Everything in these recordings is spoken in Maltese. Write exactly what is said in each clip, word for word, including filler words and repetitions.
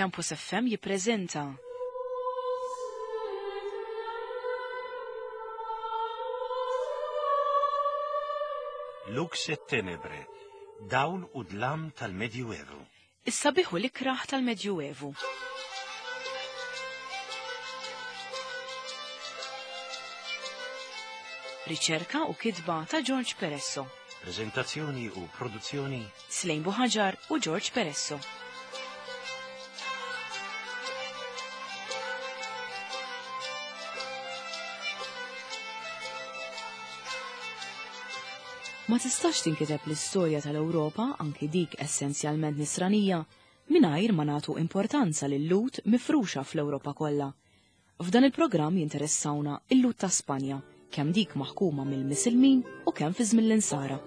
Campus F M jippreżenta Lux et Tenebre, dawl u dlam tal-Medjuevu. Is-sabiħ u l-ikraħ tal-Medjuevu. Riċerka u kitba ta' George Peresso. Prezentazzjoni u produzzjoni Slejn Buħaġar u George Peresso. Ma tistax tinkiteb l-istorja tal-Ewropa, anki dik essenzjalment nisranija, mingħajr ma nagħtu importanza lil-Lhud mifruxa fl-Ewropa kollha. F'dan il-programm jinteressawna il-Lhud ta' Spanja, kemm dik maħkuma mill-Misilmin u kemm fi żmien l-Insara.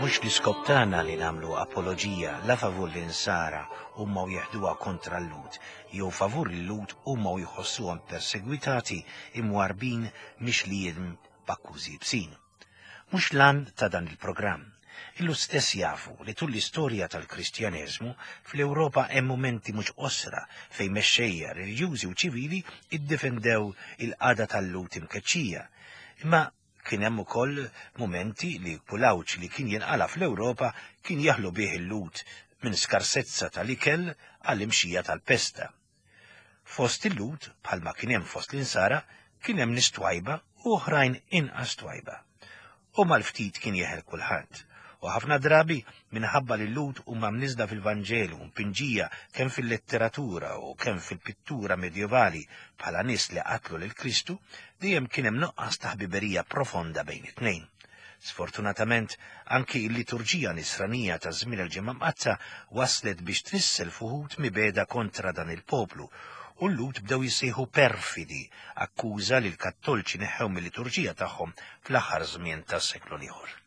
Mhux l-iskop tagħna li nagħmlu apoloġija la favur l-insara huma u jeħduha kontra l-Lhud, jew favur il-Lhud huma u jħossuhom persegwitati imwarbin mixlijin b'akkużi bsin. Mhux lan ta' dan il-programm. Illu stess jafu li tul l-istorja tal-Kristjaneżmu fl-Ewropa hemm mumenti mhux qosra fejn mexxejja reliġjużi u ċivili iddefendew il-qagħda tal-Lhud imkeċċija. Imma kien hemm ukoll mumenti li kulawċ li kien jinqala fl-Ewropa kien jaħlu bih il-Lhud minn skarsezza tal-ikel għall-imxija tal-pesta. Fost il-Lhud, bħalma kien hemm fost l-insara, kien hemm nies twajba u oħrajn inqas twajba. U mal-ftit kien jeħel kulħadd. U ħafna drabi minħabba li l-Lhud huma mniżla fil-Vanġelu, mpinġija kemm fil-letteratura u kemm fil-pittura medjevali bħala nies li qatlu lil Kristu, dejjem kien hemm nuqqas ta' ħbiberija profonda bejn it-tnejn. Sfortunatament, anki l-liturġija nisranija ta' żmien il-Ġimgħa Mqaddsa waslet biex trissel fuħut mibeda kontra dan il-poplu, u l-Lhud bdew jissejħu perfidi, akkuża li l-Kattolċi neħħew mill-liturġija tagħhom fl-aħħar żmien tas-seklu l-ieħor.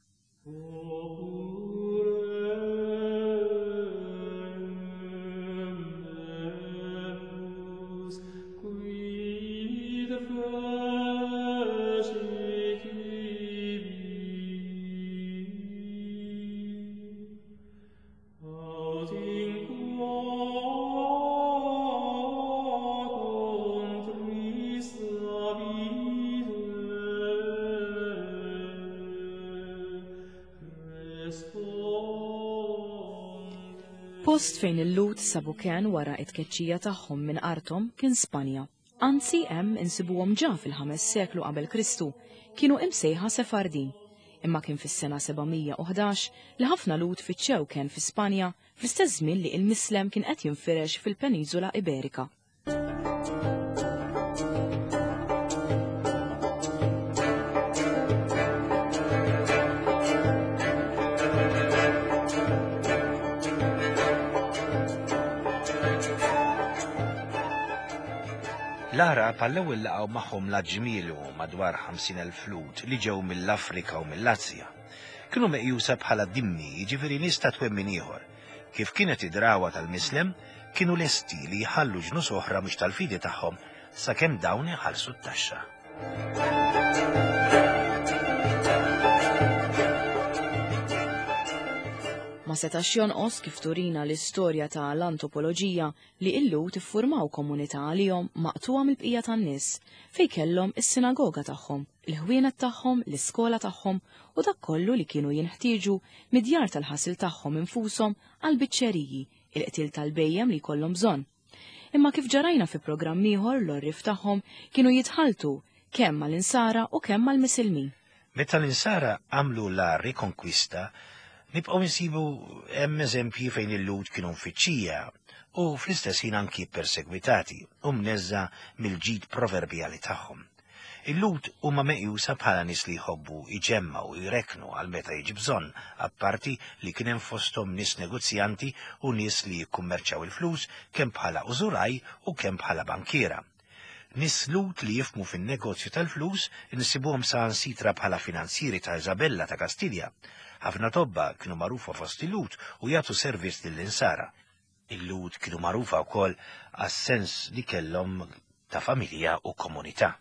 Post fejn il-Lhud sabu kien wara it-tkeċċija tagħhom minn arthom kien Spanja. Anzi hemm insibuhom ġa fil-ħames seklu qabel Kristu, kienu imsejħa Sefardin. Imma kien fis-sena sebgħamija u ħdax li ħafna Lhud fittxew kien fi Spanja fl-istess żmien li il-Mislem kien qed jinfirex fil-Peniżola Iberika. L-Għarab għall-ewwel laqgħu magħhom l-Aġmielu madwar ħamsin elf Lhud li ġew mill-Afrika u mill-Asja. Kienu meqjusa bħala dimmi, jiġifieri nies ta' twemmin ieħor. Kif kienet id-drawa tal-Mislem, kienu lesti li jħallu ġnus oħra mhux tal-fidi tagħhom sakemm dawn iħallsu t-taxxa. Ma setax jonqos kif turina l-istorja ta' l-antropoloġija li il-Lhud iffurmaw komunità għalihom maqtuha mill-bqija tan-nies fejn kellhom is-sinagoga tagħhom, il-ħwienet tagħhom, l-iskola tagħhom u dak kollu li kienu jinħtieġu mid-djar tal-ħasil tagħhom infushom għall-biċċeriji, il-qtil tal-bejjem li jkollhom bżonn. Imma kif ġarajna fi programm ieħor l-orrif tagħhom kienu jitħaltu kemm mal-insara u kemm mal-misilmin. Meta l-insara għamlu la rikonkwista, nibqgħu nsibu hemm eżempji fejn il-Lhud kienu mfittxija u fl-istess ħin anki persegwitati u mneżża mill-ġid proverbjali tagħhom. Il-Lhud huma meqjusa bħala nies li jħobbu jġemmaw u jreknu għal meta jiġi bżonn, apparti li kien hemm fosthom nies negozjanti u nies li jikkummerċjaw il-flus kemm bħala użuraj u kemm bħala bankiera. Nies Lhud li jifhmu fin-negozju tal-flus insibuhom saħansitra bħala finanzieri ta' Isabella ta' Kastilja. Ħafna tobba kienu magħrufa fost il-Lhud u jagħtu servizz lill-insara. Il-Lhud kienu magħrufa wkoll għas-sens li kellhom ta' familja u komunità.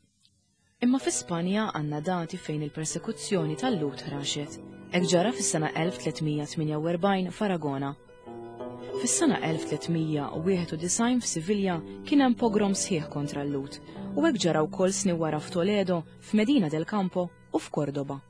Imma fi Spanja għandna dati fejn il-persekuzzjoni tal-Lhud ħraxet. Hekk ġara fis-sena elf tliet mija tmienja u erbgħin f'Aragona. Fis-sena elf tliet mija u wieħed u disgħin f'Sivilja kien hemm pogrom sħiħ kontra l-Lhud u hekk ġara wkoll snin wara f'Toledo, f'Medina del Campo u f'Cordoba.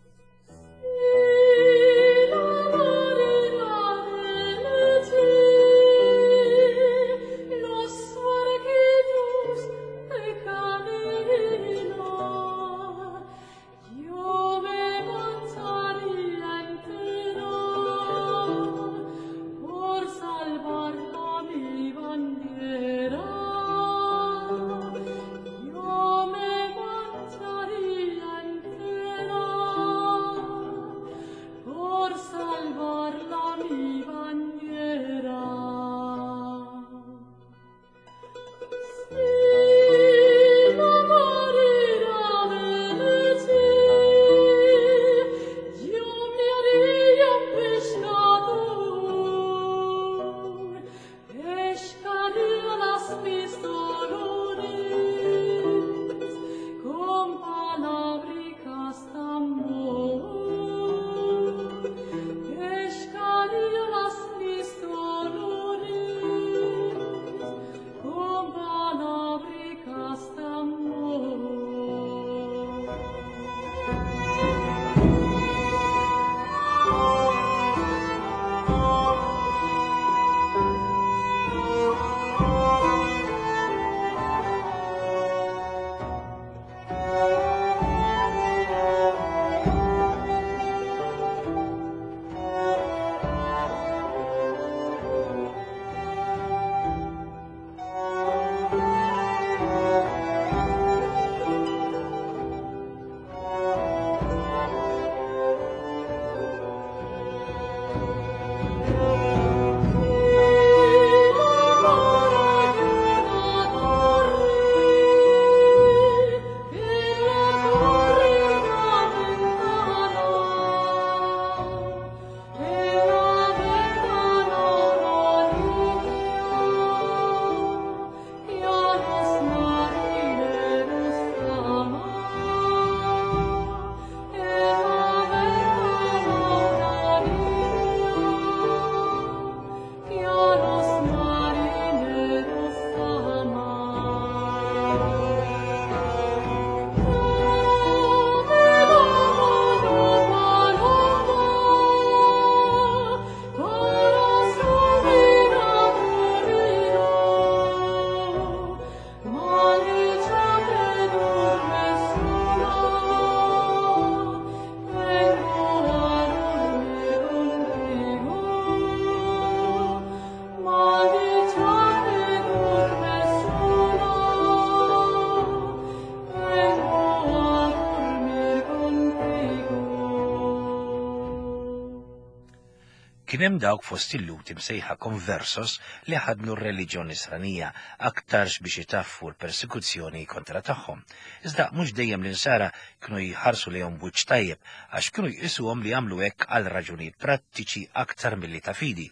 Kien hemm dawk fost il-Lhud imsejħa conversos li ħadnu r-reliġjon nisranija aktarx biex itaffu l-persekuzzjoni kontra tagħhom. Iżda mhux dejjem l-insara kienu jħarsu lejhom b'wiċċ tajjeb għax kienu jqisuhom li jagħmlu hekk għal raġunijiet prattiċi aktar milli ta' fidi.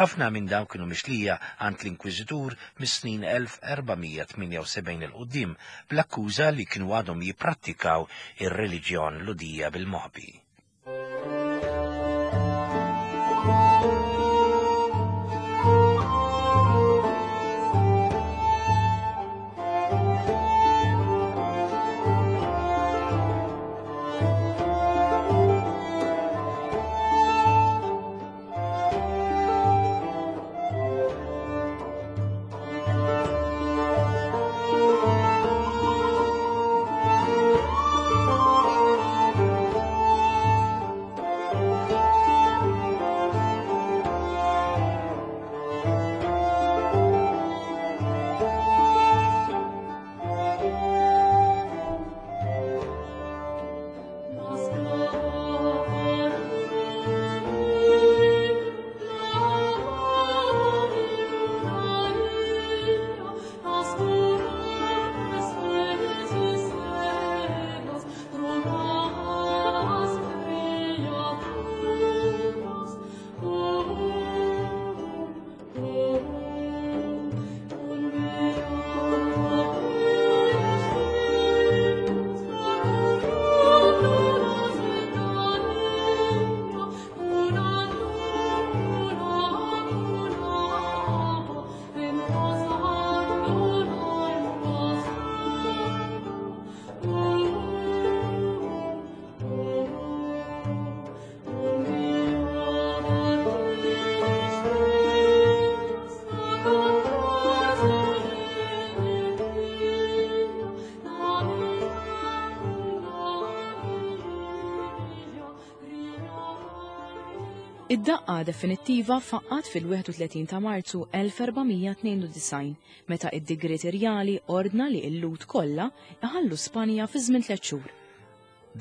Ħafna minn dawn kienu mixlija għand l-Inkwiżitur mis-snin elf erba' mija tmienja u sebgħin il quddiem bl-akkuża li kienu għadhom jipprattikaw ir-reliġjon Lhudija bil-moħbi. Thank you. Id-daqqa definittiva faqqat fil-wieħed u tletin ta' Marzu elf erba' mija tnejn u disgħin meta id-digriet irjali ordna li l-Lhud kollha iħallu Spanja fi żmien tliet xhur.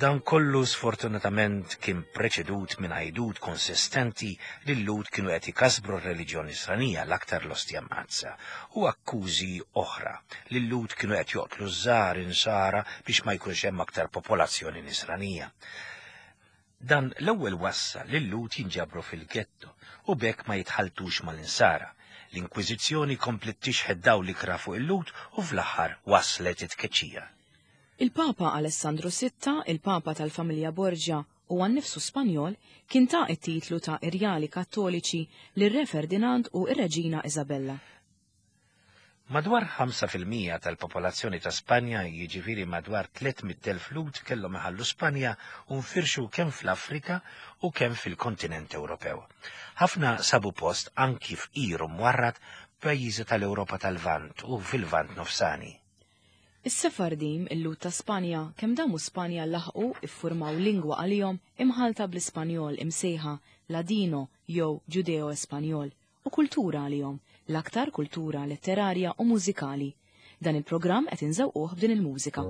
Dan kollu sfortunatament kien preċedut minn għajdut konsistenti li l-Lhud kienu qed ikasbru r-reliġjoni Nisranija, l-aktar l-Ostja Mqaddsa, u akkużi oħra li l-Lhud kienu qed joqtlu ż-żgħar insara biex ma jkunx hemm aktar popolazzjoni Nisranija. Dan l-ewwel wassal li l-Lhud jinġabru fil-ghetto u b'hekk ma jitħaltux mal-insara. L-Inkwiżizzjoni komplet tixħet dawl l-ikrah fuq il-Lhud u fl-aħħar waslet it-tkeċċija. Il-Papa Alessandro Sitta, il-Papa tal-familja Borgia u għan-nifsu Spanjol, kien ta' it-titlu ta' Irjali Kattoliċi lir-Re Ferdinand u ir-Reġina Isabella. Madwar ħamsa fil-mija tal-popolazzjoni ta' Spanja, jiġifieri madwar tliet mitt elf Lhud, kellhom iħallu Spanja u nfirxu kemm fl-Afrika u kemm fil-kontinent Ewropew. Ħafna sabu post anki fqir u mwarrad pajjiżi tal-Ewropa tal-Lvant u fil-Lvant Nofsani. Is-Sefardim, il-Lhud ta' Spanja, kemm damu Spanja laħqu iffurmaw lingwa għalihom imħalta bl-Ispanjol imsejħa Ladino jew Ġudeo-Espanjol u kultura għalihom, l-aktar kultura letterarja u mużikali. Dan il-programm qed inżewquh b'din il-mużika.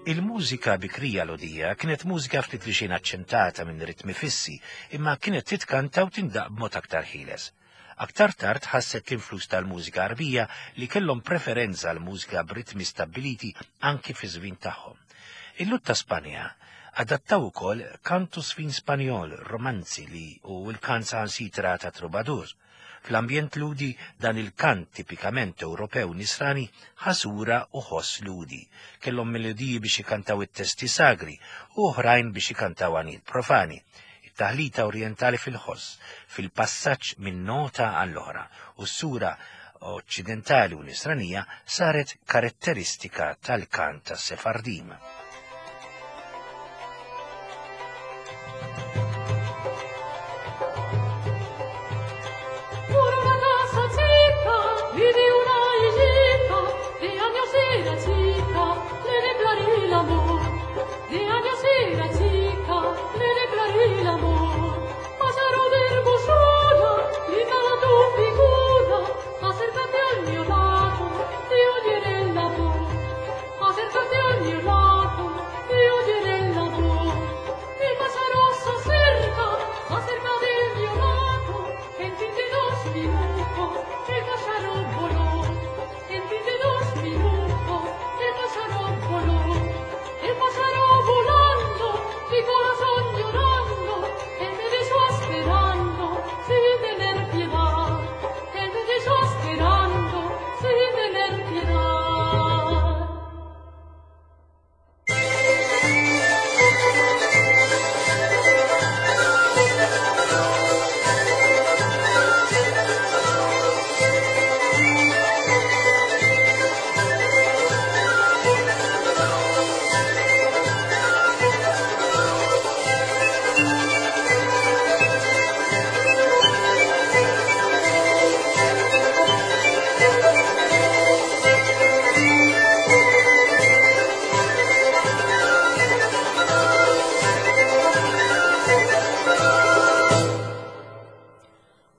Il-mużika bikrija Lhudija kienet mużika ftit li xejn aċċentata minn ritmi fissi, imma kienet titkanta u tindaq b'mod aktar ħieles. Aktar tard ħasset l-influss tal-mużika Arbija li kellhom preferenza għal mużika b'ritmi stabbiliti anki fi żvin tagħhom. Il-Lhud ta' Spanja adattaw ukoll kantu sfin Spanjol, romanzi li u l-kant sansitra ta' Troubadour. Fl-ambjent Lhudi dan il-kant tipikament Ewropew nisrani ħasura u ħoss Lhudi. Kellhom melodiji biex ikantaw it-testi sagri u oħrajn biex ikantaw għanijiet profani. It-taħlita orjentali fil-ħoss, fil-passaġġ minn nota għall-oħra u s-sura oċċidentali u nisranija saret karatteristika tal-kant tas-Sefardim. Por una casa chica vive una hijita, de años era chica, le declaré el amor. De años era chica, le declaré el amor. Pájaro de hermosura, linda tu figura, acércate al mío lado, te oiré la voz. Acércate al mío lado, te oiré la voz. El pájaro se acerca, se acerca del mío lado, en fin de dos minutos el pájaro voló. En fin de dos minutos el pájaro voló. El pájaro volando, mi corazón llorando, él me dejó esperando sin tener piedad. Él me dejó esperando sin tener piedad.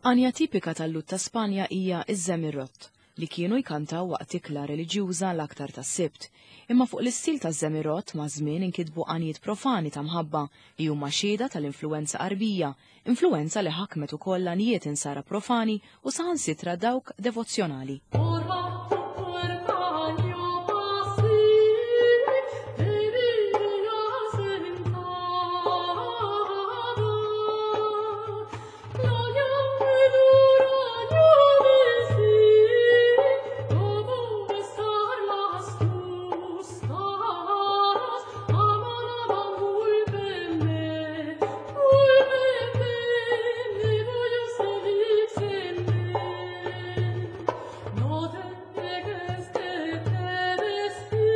Għanja tipika tal-Lhud ta' Spanja hija iż-Żemirot, li kienu jkantaw waqt ikla reliġjuża l-aktar tas-Sibt. Imma fuq l-istil taż-Żemirot ma' żmien inkitbu għanijiet profani ta' mħabba li huma xhieda tal-influenza Qarbija, influenza li ħakmet ukoll għanijiet insara profani u saħansitra dawk devozzjonali. Por bajo puerta yo pasé, te vi sentado. La llave dura yo besé, como besar las tus caras. Aman, aman, vuélveme, vuélveme, me voy a seguir. No te dejes que te besé,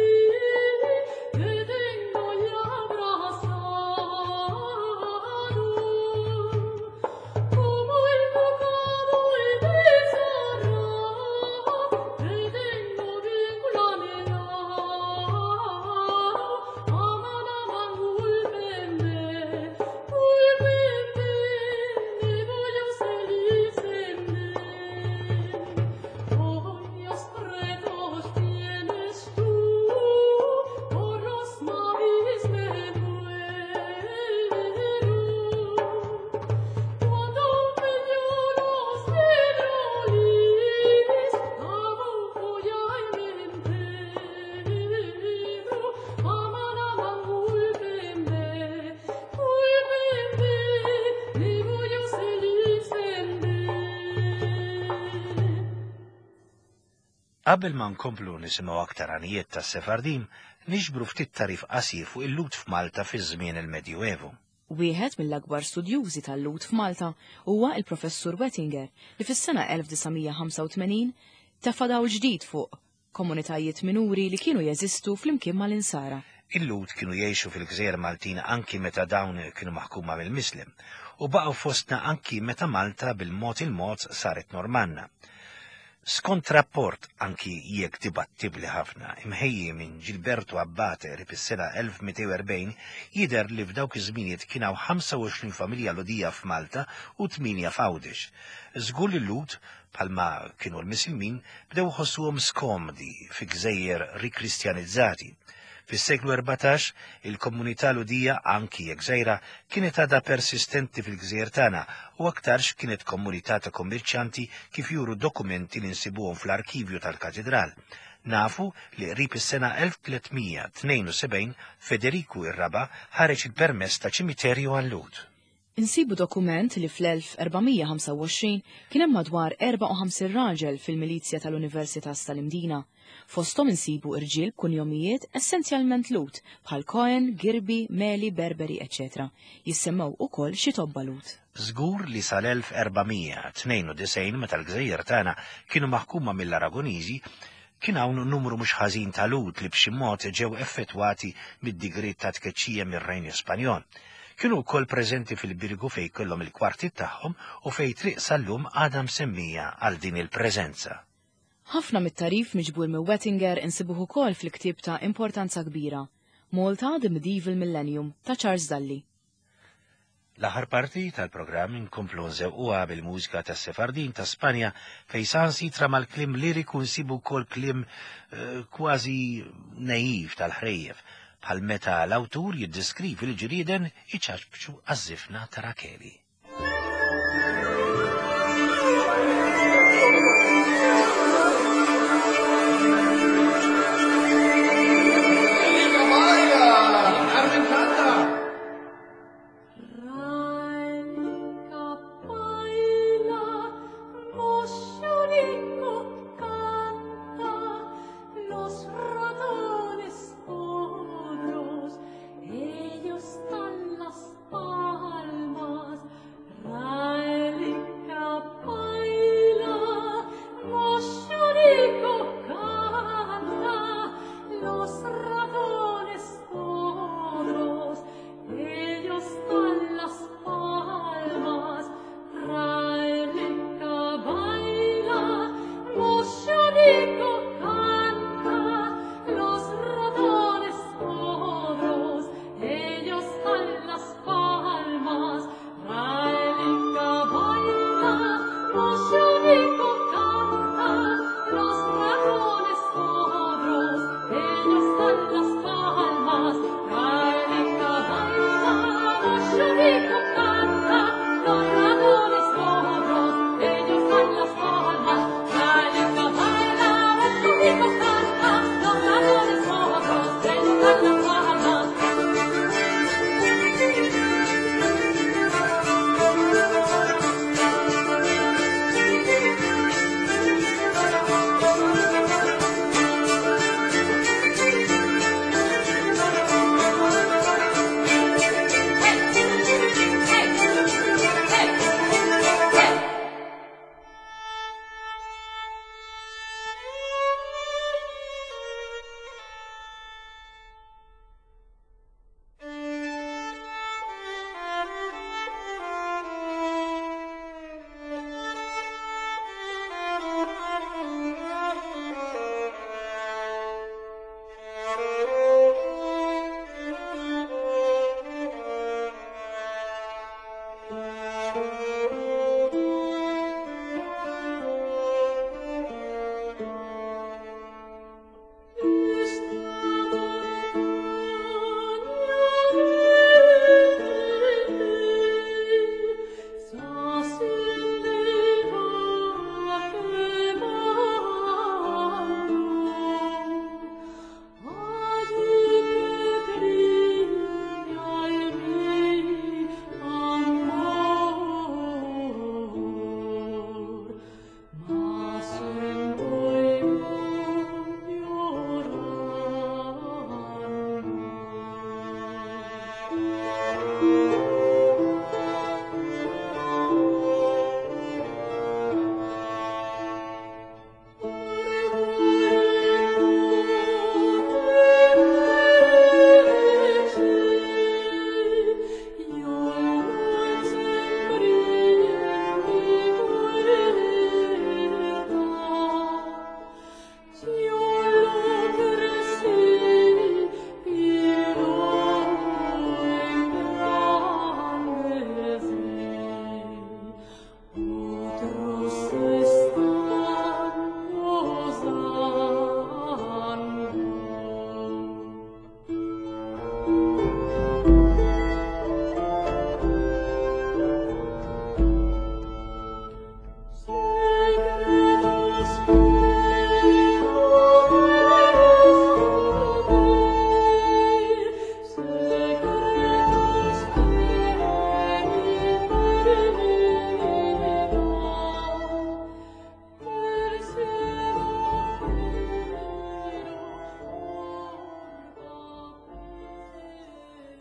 te tengo ya abrazado. Como el bocado el besará, te tengo bien planeado. Aman, aman, vuélveme, vuélveme, me voy a seguir. Hoyos pretos tienes tú, por los mares me muero. Cuando me lloros de dolores, abajo ya me entero. Aman, aman, vuélveme, vuélveme, me voy a seguir. Qabel ma nkomplu nisimgħu aktar għanijiet tas-Sefardim, niġbru ftit tarif qasir fuq il-Lhud f'Malta fi żmien il-Medjuevu. Wieħed mill-akbar studjużi tal-Lhud f'Malta huwa il-Professur Wettinger li fis-sena elf disa' mija ħamsa u tmenin tefa' dawl ġdid fuq komunitajiet minuri li kienu jeżistu flimkien mal-Insara. Il-Lhud kienu jgħixu fil-Gżejjer Maltin anki meta dawn kienu maħkuma mill-Mislem u baqgħu fostna anki meta Malta bil-mod il-mod saret Normanna. Skont rapport anki jekk dibattibli ħafna imħejji minn Gilberto Abbate rib is-sena elf mitejn u erbgħin jidher li f'dawk iż-żminijiet kien hawn ħamsa u għoxrin familja Lhudija f'Malta u tmienja f'Għawdex. Żgur li l-Lhud, bħalma kienu l-Misilmin, bdew iħossuhom skomdi fi gżejjer rikristjanizzati. Fis-seklu erbatax, il-komunità Lhudija, anki jekk żgħira, kienet għadha persistenti fil-gżejjer tagħna u aktarx kienet komunità ta' kommerċjanti kif juru dokumenti li nsibuhom fl-arkivju tal-katedral. Nafu li qrib is-sena elf tliet mija tnejn u sebgħin Federiku ir-Raba' ħareġ il-permess ta' ċimiterju għal-Lhud. Insibu dokument li fl-elf erba' mija ħamsa u għoxrin kien hemm madwar erbgħa u ħamsin raġel fil-milizja tal-Universitas tal-Imdina. Fosthom insibu irġiel b'kunjomijiet essenzjalment Lhud bħal Cohen, Girbi, Meli, Berberi, eċċetera. Jissemmew ukoll xi tobba Lhud. Żgur li sal-elf erba' mija tnejn u disgħin, meta l-gżejjer tagħna kienu maħkuma mill-Aragoniżi, kien hawn numru mhux ħażin ta' Lhud li b'xi mod ġew effettwati mid-digriet ta' tkeċċija mir-Renju Spanjol. Kienu wkoll preżenti fil-Birgu, fejn kellhom il-kwarti tagħhom u fejn triq sal-lum għadha msemmija għal din il-preżenza. Ħafna mit-tagħrif miġbur minn Wettinger insibuh ukoll fil-ktieb ta' importanza kbira, Malta The Medieval Millennium ta' Charles Dalli. L-aħħar parti tal-programm inkomplu nżewquha bil-mużika tas-Sefardin ta' Spanja, fejn sansitra mal-kliem liriku nsibu wkoll kliem eh, kważi naiv tal-ħrejjef, bħal meta l-awtur jiddeskrivi l-ġrieden iċaċbċu għaż-żifna ta' Rakeli. Raelica baila, Moscionico canta, los ratones otros, ellos dan las palmas. Raelica baila, Moscionico canta, los ratones otros, ellos dan las palmas. Raelica baila, Moscionico canta, los ratones otros, ellos dan las palmas. Raelica baila, Moscionico canta, los ratones otros, ellos dan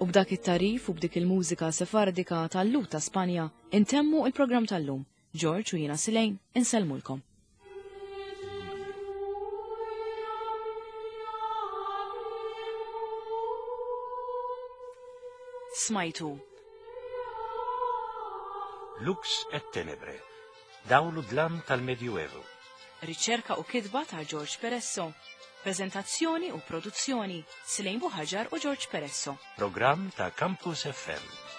U b'dak it-tarif u b'dik il-mużika sefardika tal-Lhud ta' Spanja intemmu il-programm tal-lum. George u jiena Silejn insellmulkom. Smajtu. Lux et Tenebre, dawl u dlam tal-Medjuevu. Riċerka u kitba ta' George Peresso. Prezentazzjoni u produzzjoni Silejn Buħaġar u George Peresso. Programm ta' Campus F M.